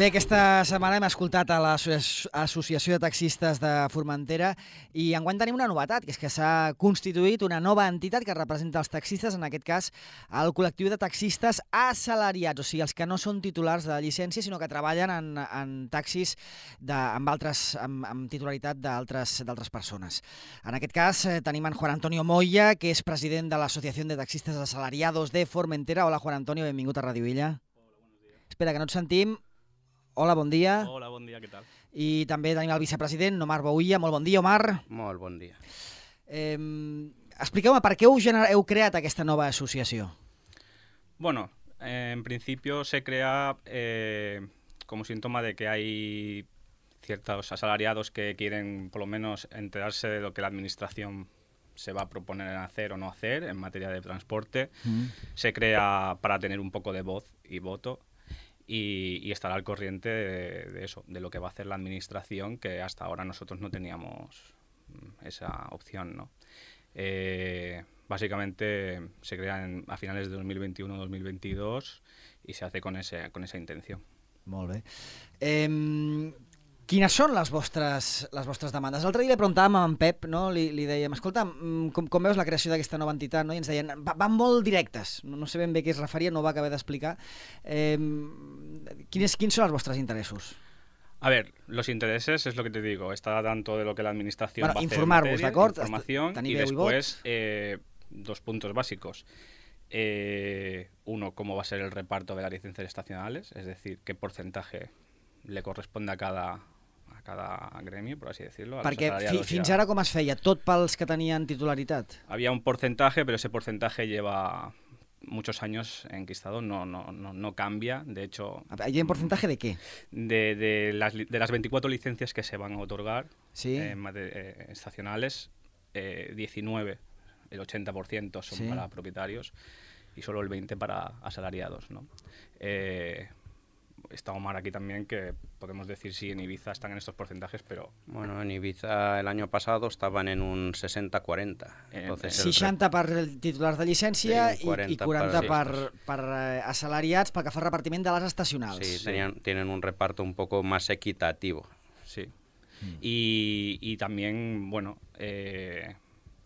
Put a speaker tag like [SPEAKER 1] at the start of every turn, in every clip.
[SPEAKER 1] Bé, aquesta setmana hem escoltat a l'Associació de Taxistes de Formentera i enguany tenim una novetat, que és que s'ha constituït una nova entitat que representa els taxistes, en aquest cas el col·lectiu de taxistes assalariats, o sigui, els que no són titulars de llicència, sinó que treballen en taxis amb titularitat d'altres persones. En aquest cas tenim en Juan Antonio Moya, que és president de l'Associació de Taxistes Asalariados de Formentera. Hola, Juan Antonio, benvingut a Radio Illa.
[SPEAKER 2] Hola, buenos días.
[SPEAKER 1] Espera, que no et sentim. Hola, bon dia.
[SPEAKER 2] Hola, bon dia, què tal?
[SPEAKER 1] I també tenim el vicepresident, Omar Bouilla. Molt bon dia, Omar.
[SPEAKER 3] Molt bon dia.
[SPEAKER 1] Expliqueu-me, per què heu creat aquesta nova associació?
[SPEAKER 2] Bueno, en principio se crea como síntoma de que hay ciertos asalariados que quieren por lo menos enterarse de lo que la administración se va a proponer hacer o no hacer en materia de transporte. Se crea para tener un poco de voz y voto y estar al corriente de eso, de lo que va a hacer la administración, que hasta ahora nosotros no teníamos esa opción, ¿no? Básicamente se crea a finales de 2021-2022 y se hace con esa intención.
[SPEAKER 1] Molt bé. Quines són les vostres demandes? L'altre dia li preguntàvem a en Pep, no? Li dèiem, escolta, com veus la creació d'aquesta nova entitat? No? I ens deien, van molt directes, no sé ben bé què es referia, no ho va acabar d'explicar. Quins són els vostres interessos?
[SPEAKER 2] A ver, los intereses es lo que te digo, está tanto de lo que la administración va a hacer,
[SPEAKER 1] informar-vos, d'acord?
[SPEAKER 2] Información, y después dos puntos básicos. Uno, cómo va a ser el reparto de las licencias estacionales, es decir, qué porcentaje le corresponde a cada gremio, por así decirlo.
[SPEAKER 1] Perquè fins ara com es feia? Tot pels que tenien titularitat?
[SPEAKER 2] Había un porcentaje, pero ese porcentaje lleva muchos años enquistado, no cambia, de hecho...
[SPEAKER 1] ¿Hay un porcentaje de qué?
[SPEAKER 2] De las 24 licencias que se van a otorgar,
[SPEAKER 1] ¿sí?
[SPEAKER 2] Estacionales, 19, el 80% son, ¿sí?, para propietarios y solo el 20% para asalariados, ¿no? Está Omar aquí también, que podemos decir si en Ibiza están en estos porcentajes, pero...
[SPEAKER 3] Bueno, en Ibiza el año pasado estaban en un 60-40.
[SPEAKER 1] 60 per titulars de llicència i 40 per assalariats pel que fa al repartiment de les estacionals.
[SPEAKER 3] Sí, tienen un reparto un poco más equitativo.
[SPEAKER 2] Sí. Y también, bueno,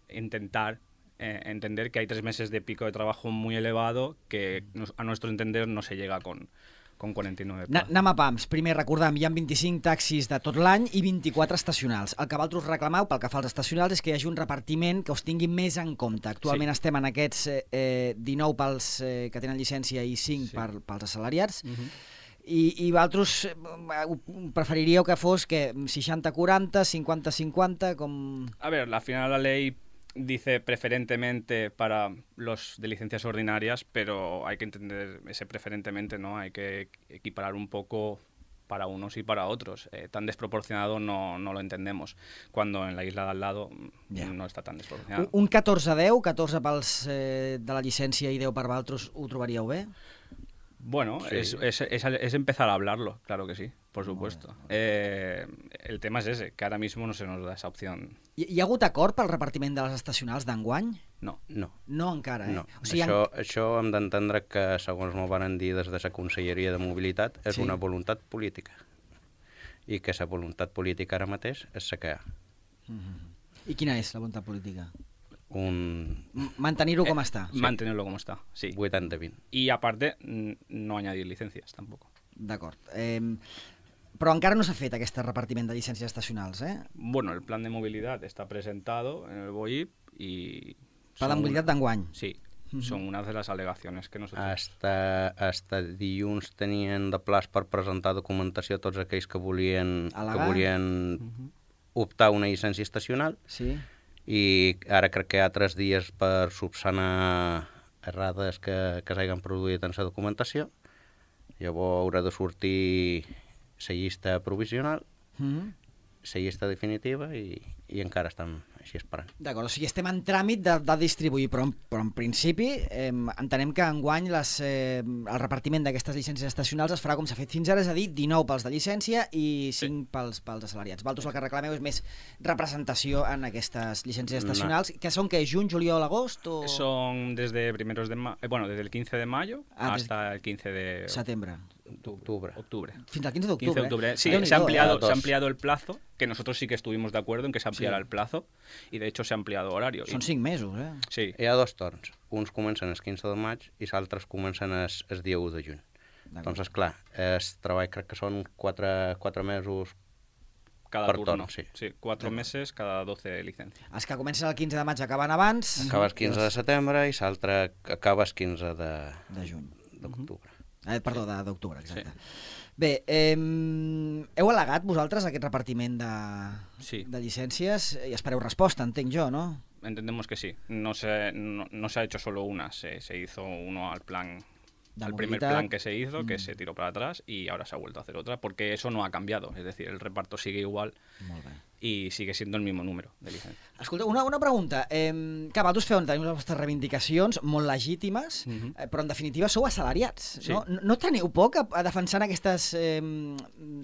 [SPEAKER 2] intentar entender que hay 3 meses de pico de trabajo muy elevado que a nuestro entender no se llega con 49 plazas.
[SPEAKER 1] Anem a pams. Primer, recordem, hi ha 25 taxis de tot l'any i 24 estacionals. El que vosaltres reclameu pel que fa als estacionals és que hi hagi un repartiment que us tingui més en compte. Actualment estem en aquests 19 pels que tenen llicència i 5 pels assalariats. I vosaltres preferiríeu que fos 60-40, 50-50, com...
[SPEAKER 2] A ver, al final la ley dice preferentemente para los de licencias ordinarias, pero hay que entender ese preferentemente, ¿no? Hay que equiparar un poco para unos y para otros. Tan desproporcionado no lo entendemos, cuando en la isla de al lado no está tan desproporcionado.
[SPEAKER 1] Un 14-10, 14 pels de la llicència i 10 per vosaltres, ho trobaríeu bé?
[SPEAKER 2] Bueno, sí. es empezar a hablarlo, claro que sí, por supuesto. El tema es ese, que ahora mismo no se nos da esa opción.
[SPEAKER 1] Hi ha hagut acord pel repartiment de les estacionals d'enguany?
[SPEAKER 3] No.
[SPEAKER 1] No encara,
[SPEAKER 3] No. O sigui, això hem d'entendre que, segons m'ho van dir des de la Conselleria de Mobilitat, és una voluntat política. I que la voluntat política ara mateix és la que hi ha.
[SPEAKER 1] I quina és la voluntat política?
[SPEAKER 2] Mantenerlo como está. Mantenerlo como está, sí.
[SPEAKER 3] 80-20.
[SPEAKER 2] Y aparte, no añadir licencias tampoco.
[SPEAKER 1] D'acord. Però encara no s'ha fet aquest repartiment de llicències estacionals, eh?
[SPEAKER 2] Bueno, el plan de movilidad está presentado en el BOIP y...
[SPEAKER 1] Plan de movilidad d'enguany.
[SPEAKER 2] Sí, son unas de las alegaciones que nosotros...
[SPEAKER 3] Hasta dilluns tenien de plaç per presentar documentació a tots aquells que volien optar a una llicència estacional.
[SPEAKER 1] Sí.
[SPEAKER 3] I ara crec que hi ha 3 dies per subsanar errades que s'hagin produït en la documentació. Llavors haurà de sortir la llista provisional, la llista definitiva i encara estem així esperant.
[SPEAKER 1] D'acord, o sigui, estem en tràmit de distribuir, però en principi entenem que enguany el repartiment d'aquestes llicències estacionals es farà com s'ha fet fins ara, és a dir, 19 pels de llicència i 5 pels assalariats. Vosaltres el que reclameu és més representació en aquestes llicències estacionals, que són que juny, juliol, agost?
[SPEAKER 2] Son desde el 15 de mayo hasta el 15 de
[SPEAKER 1] setembre.
[SPEAKER 3] Octubre.
[SPEAKER 1] Fins al 15 d'octubre.
[SPEAKER 2] 15 de octubre. Sí,
[SPEAKER 1] Déu-n'hi-do,
[SPEAKER 2] se ha
[SPEAKER 3] Dos.
[SPEAKER 2] ampliado el plazo, que nosotros sí que estuvimos de acuerdo en que se ampliara
[SPEAKER 1] Sí.
[SPEAKER 2] el plazo, y de hecho se ha ampliado horario.
[SPEAKER 1] Són 5 mesos, eh?
[SPEAKER 2] Sí,
[SPEAKER 3] Hi ha 2 torns. Uns comencen el 15 de maig i els altres comencen el dia 1 de juny.
[SPEAKER 1] D'acord.
[SPEAKER 3] Doncs, clar, el treball crec que són 4 mesos.
[SPEAKER 2] cada
[SPEAKER 3] per
[SPEAKER 2] turno.
[SPEAKER 3] torn, sí.
[SPEAKER 2] 4 meses, cada 12 licencias.
[SPEAKER 1] Els que comencen el 15 de maig acaben abans.
[SPEAKER 3] Acaba el 15 de setembre i l'altre acaba el 15
[SPEAKER 1] De juny.
[SPEAKER 3] d'octubre.
[SPEAKER 1] Perdó, d'octubre, exacte. Bé, heu al·legat vosaltres aquest repartiment
[SPEAKER 2] Sí.
[SPEAKER 1] de llicències i espereu resposta, entenc jo, no?
[SPEAKER 2] Entendemos que sí. No se ha hecho solo una, se hizo uno al primer
[SPEAKER 1] movilidad.
[SPEAKER 2] plan que se hizo, que se tiró para atrás y ahora se ha vuelto a hacer otra, porque eso no ha cambiado. Es decir, el reparto sigue igual
[SPEAKER 1] Molt bé.
[SPEAKER 2] y sigue siendo el mismo número de licencias.
[SPEAKER 1] Escolta, una pregunta. Que vosaltres teniu les vostres reivindicacions molt legítimes, però en definitiva sou assalariats,
[SPEAKER 2] Sí.
[SPEAKER 1] no? No teniu por que a defensar aquestes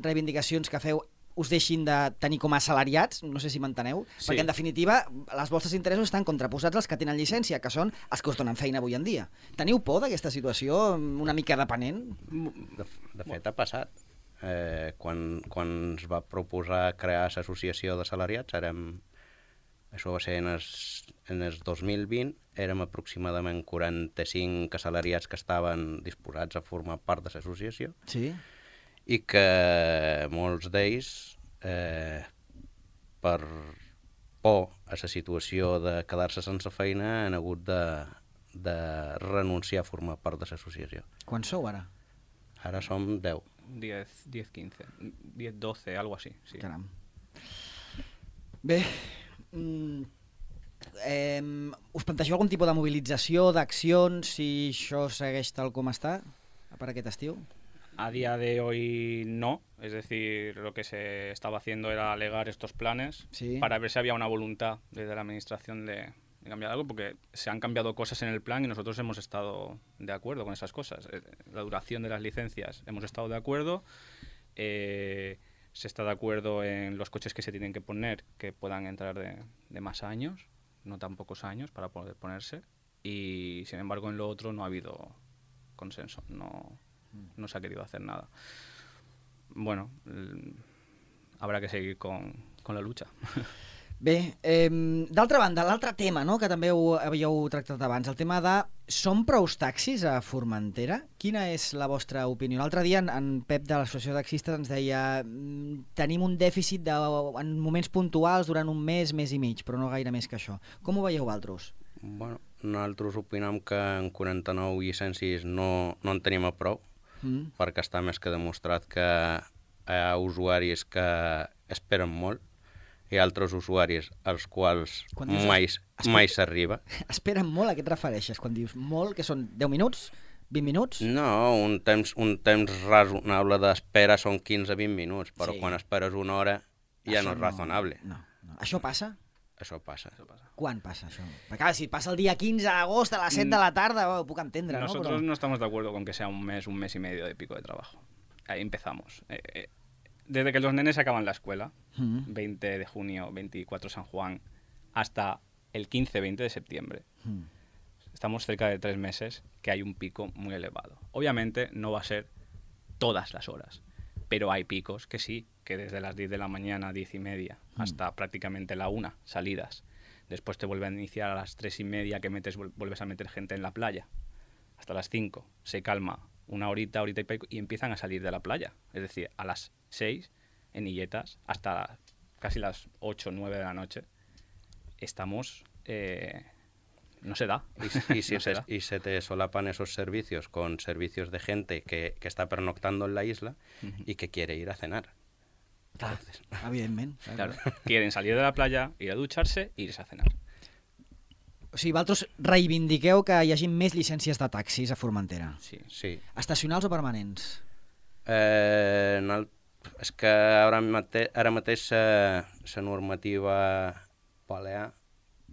[SPEAKER 1] reivindicacions que feu us deixin de tenir com a assalariats, no sé si m'enteneu,
[SPEAKER 2] Sí.
[SPEAKER 1] perquè en definitiva els vostres interessos estan contraposats als que tenen llicència, que són els que us donen feina avui en dia. Teniu por d'aquesta situació una mica depenent?
[SPEAKER 3] De fet, ha passat. Quan es va proposar crear l'associació d'assalariats, això va ser en el 2020, érem aproximadament 45 assalariats que estaven disposats a formar part de l'associació
[SPEAKER 1] Sí.
[SPEAKER 3] i que molts d'ells, per por a la situació de quedar-se sense feina, han hagut de renunciar a formar part de l'associació.
[SPEAKER 1] Quan sou ara?
[SPEAKER 3] Ara som 10.
[SPEAKER 2] 10, 15, 10, 12, algo así. Sí.
[SPEAKER 1] Caram. Bé, us plantegeu algun tipus de mobilització, d'accions, si això segueix tal com està per aquest estiu?
[SPEAKER 2] A día de hoy no, es decir, lo que se estaba haciendo era alegar estos planes
[SPEAKER 1] Sí.
[SPEAKER 2] para ver si había una voluntad desde la administración de cambiar algo, porque se han cambiado cosas en el plan y nosotros hemos estado de acuerdo con esas cosas. La duración de las licencias hemos estado de acuerdo, se está de acuerdo en los coches que se tienen que poner, que puedan entrar de más años, no tan pocos años para poder ponerse, y sin embargo en lo otro no ha habido consenso, no se ha querido hacer nada. Bueno, habrá que seguir con la lucha.
[SPEAKER 1] Bé, d'altra banda, l'altre tema, no?, que també havíeu tractat abans, el tema de són prou taxis a Formentera? Quina és la vostra opinió? L'altre dia en Pep de l'Associació de Taxistes ens deia tenim un dèficit en moments puntuals durant un mes i mig, però no gaire més que això. Com ho veieu vosaltres?
[SPEAKER 3] Bueno, nosaltres opinem que en 49 llicències no en tenim a prou, perquè està més que demostrat que hi ha usuaris que esperen molt i altres usuaris als quals mai s'arriba.
[SPEAKER 1] Esperen molt, a què et refereixes quan dius molt, que són 10 minuts, 20 minuts?
[SPEAKER 3] No, un temps raonable d'espera són 15-20 minuts, però quan esperes una hora ja no és raonable.
[SPEAKER 1] No. Això passa?
[SPEAKER 3] Això passa.
[SPEAKER 1] Quan passa això? Perquè clar, si passa el dia 15 d'agost a les 7 de la tarda, ho puc entendre, ¿no?
[SPEAKER 2] Nosotros no estamos de acuerdo con que sea un mes y medio de pico de trabajo. Ahí empezamos. Desde que los nenes acaban la escuela, 20 de junio, 24 San Juan, hasta el 15-20 de septiembre, estamos cerca de 3 meses que hay un pico muy elevado. Obviamente no va a ser todas las horas, pero hay picos que sí, que desde las 10 de la mañana, 10 y media, hasta prácticamente la 1, salidas. Después te vuelven a iniciar a las 3 y media que vuelves a meter gente en la playa. Hasta las 5 se calma una horita y pico y empiezan a salir de la playa. Es decir, a las 6 en Illetas hasta casi las 8 o 9 de la noche estamos... no se da.
[SPEAKER 3] Y se te solapan esos servicios con servicios de gente que está pernoctando en la isla y que quiere ir a cenar.
[SPEAKER 1] Clar, evidentment.
[SPEAKER 2] Claro. Quieren salir de la playa, ir a ducharse e irse a cenar.
[SPEAKER 1] O sigui, vosaltres reivindiqueu que hi hagi més llicències de taxis a Formentera.
[SPEAKER 3] Sí.
[SPEAKER 1] Estacionals o permanents?
[SPEAKER 3] És que ara mateix la normativa balear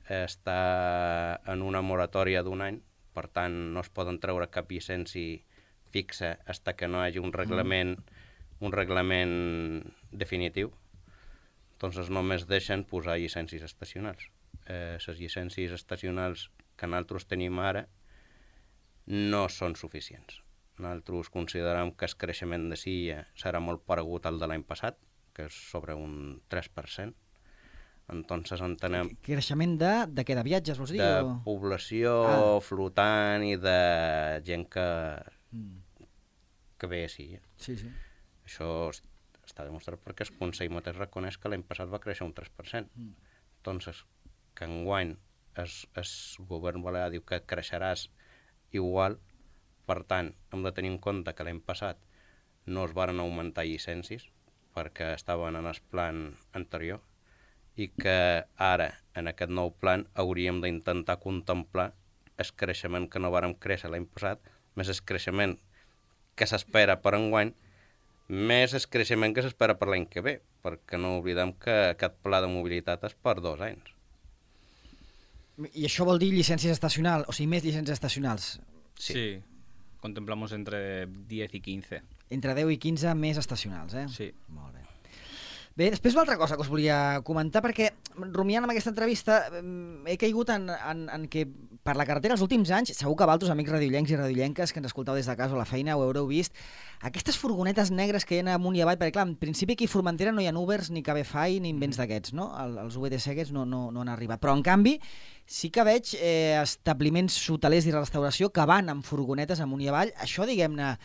[SPEAKER 3] està en una moratòria d'un any, per tant no es poden treure cap llicència fixa fins que no hi hagi un reglament definitiu. Doncs només deixen posar llicències estacionals. Les llicències estacionals que nosaltres tenim ara no són suficients. Nosaltres considerem que el creixement de Silla serà molt paregut al de l'any passat, que és sobre un 3%. Entonces entenem...
[SPEAKER 1] Creixement de què? De viatges, vols dir?
[SPEAKER 3] De
[SPEAKER 1] o...
[SPEAKER 3] població flotant i de gent que ve a Silla.
[SPEAKER 1] Sí, sí.
[SPEAKER 3] Això està demostrat perquè el Consell mateix reconeix que l'any passat va créixer un 3%. Entonces, que enguany el govern balear diu que creixeràs igual, per tant, hem de tenir en compte que l'any passat no es varen augmentar llicències perquè estaven en el plan anterior i que ara, en aquest nou plan, hauríem d'intentar contemplar el creixement que no vàrem créixer l'any passat, més el creixement que s'espera per enguany, més el creixement que s'espera per l'any que ve, perquè no oblidem que aquest pla de mobilitat és per 2 anys.
[SPEAKER 1] I això vol dir llicències estacionals, o sigui, més llicències estacionals.
[SPEAKER 2] Sí. Contemplamos entre 10 i 15.
[SPEAKER 1] Entre 10 i 15 més estacionals, eh?
[SPEAKER 2] Sí.
[SPEAKER 1] Molt bé. Bé, després una altra cosa que us volia comentar, perquè rumiant amb aquesta entrevista he caigut en que per la carretera els últims anys, segur que vosaltres, amics radiollencs i radiollenques que ens escoltau des de casa o a la feina, ho haureu vist, aquestes furgonetes negres que hi ha amunt i avall, perquè clar, en principi aquí a Formentera no hi ha Ubers, ni Cabify, ni invents d'aquests, no? Els VTC aquests no han arribat. Però en canvi sí que veig establiments hotelers i restauració que van amb furgonetes amunt i avall. Això, diguem-ne,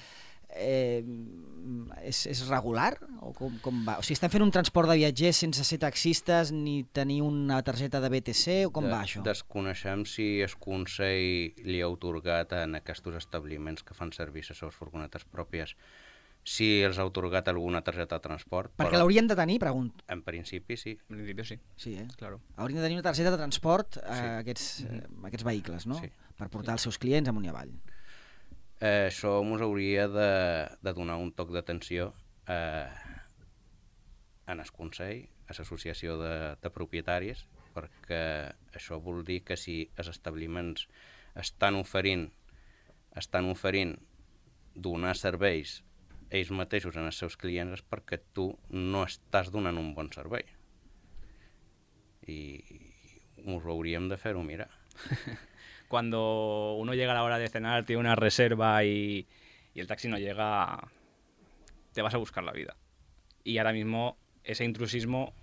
[SPEAKER 1] és regular? O com va? O sigui, estan fent un transport de viatgers sense ser taxistes ni tenir una targeta de BTC o com va això?
[SPEAKER 3] Desconeixem si el Consell li ha atorgat en aquests establiments que fan servir les seves furgonetes pròpies si els ha atorgat alguna targeta de transport.
[SPEAKER 1] Perquè l'haurien de tenir, pregunto.
[SPEAKER 3] En principi sí.
[SPEAKER 2] En principi sí.
[SPEAKER 1] Sí,
[SPEAKER 2] Claro.
[SPEAKER 1] Haurien de tenir una targeta de transport a aquests vehicles, no?
[SPEAKER 3] Sí.
[SPEAKER 1] Per portar els seus clients amunt i avall.
[SPEAKER 3] Això ens hauria de donar un toc d'atenció en el Consell, a l'associació de propietaris, perquè això vol dir que si els establiments estan oferint donar serveis ells mateixos en els seus clients és perquè tu no estàs donant un bon servei. I us hauríem de fer-ho mirar.
[SPEAKER 2] Cuando uno llega a la hora de cenar, tiene una reserva y el taxi no llega, te vas a buscar la vida. Y ahora mismo ese intrusismo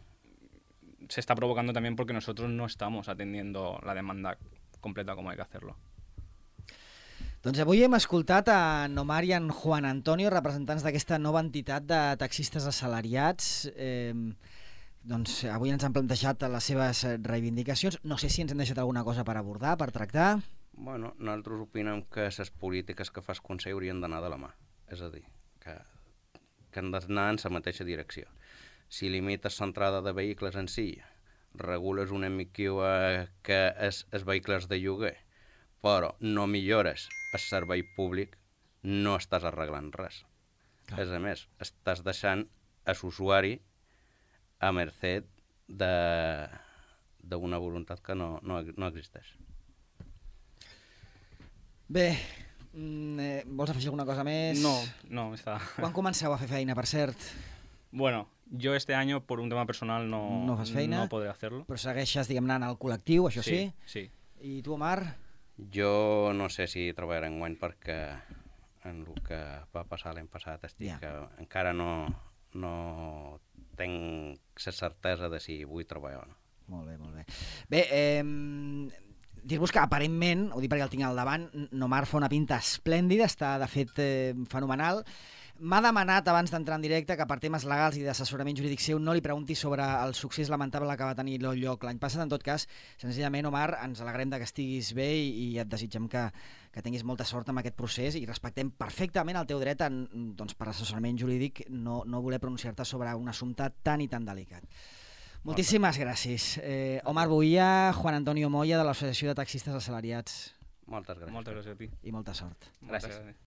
[SPEAKER 2] se está provocando también porque nosotros no estamos atendiendo la demanda completa como hay que hacerlo.
[SPEAKER 1] Doncs avui hem escoltat a Omar i en Juan Antonio, representants d'aquesta nova entitat de taxistes assalariats. Doncs avui ens han plantejat les seves reivindicacions. No sé si ens hem deixat alguna cosa per abordar, per tractar.
[SPEAKER 3] Bueno, nosaltres opinem que les polítiques que fa el Consell haurien d'anar de la mà. És a dir, que han d'anar en la mateixa direcció. Si limites l'entrada de vehicles en si, regules una mica que els vehicles de lloguer, però no millores el servei públic, no estàs arreglant res. Clar. A més, estàs deixant l'usuari a mercè d'una voluntat que no existeix.
[SPEAKER 1] Bé, vols afegir alguna cosa més?
[SPEAKER 2] No, està...
[SPEAKER 1] Quan comenceu a fer feina, per cert?
[SPEAKER 2] Bueno, yo este año, por un tema personal, no
[SPEAKER 1] fas feina,
[SPEAKER 2] no podré hacerlo.
[SPEAKER 1] Però segueixes, diguem-ne, en el col·lectiu, això sí?
[SPEAKER 2] Sí.
[SPEAKER 1] I tu, Omar?
[SPEAKER 3] Jo no sé si treballaré enguany perquè en el que va passar l'any passat encara no tinc la certesa de si vull treballar o no.
[SPEAKER 1] Molt bé, molt bé. Bé, dir-vos que aparentment, ho dic perquè el tinc al davant, Omar fa una pinta esplèndida, està de fet fenomenal. M'ha demanat abans d'entrar en directe que per temes legals i d'assessorament jurídic seu no li pregunti sobre el succés lamentable que va tenir lloc l'any passat. En tot cas, senzillament, Omar, ens alegrem que estiguis bé i et desitgem que tinguis molta sort amb aquest procés i respectem perfectament el teu dret doncs, per assessorament jurídic no voler pronunciar-te sobre un assumpte tan i tan delicat. Moltíssimes gràcies. Omar Boia, Juan Antonio Moya, de l'Associació de Taxistes Assalariats.
[SPEAKER 3] Moltes gràcies.
[SPEAKER 2] Moltes gràcies a ti.
[SPEAKER 1] I molta sort.
[SPEAKER 3] Gràcies.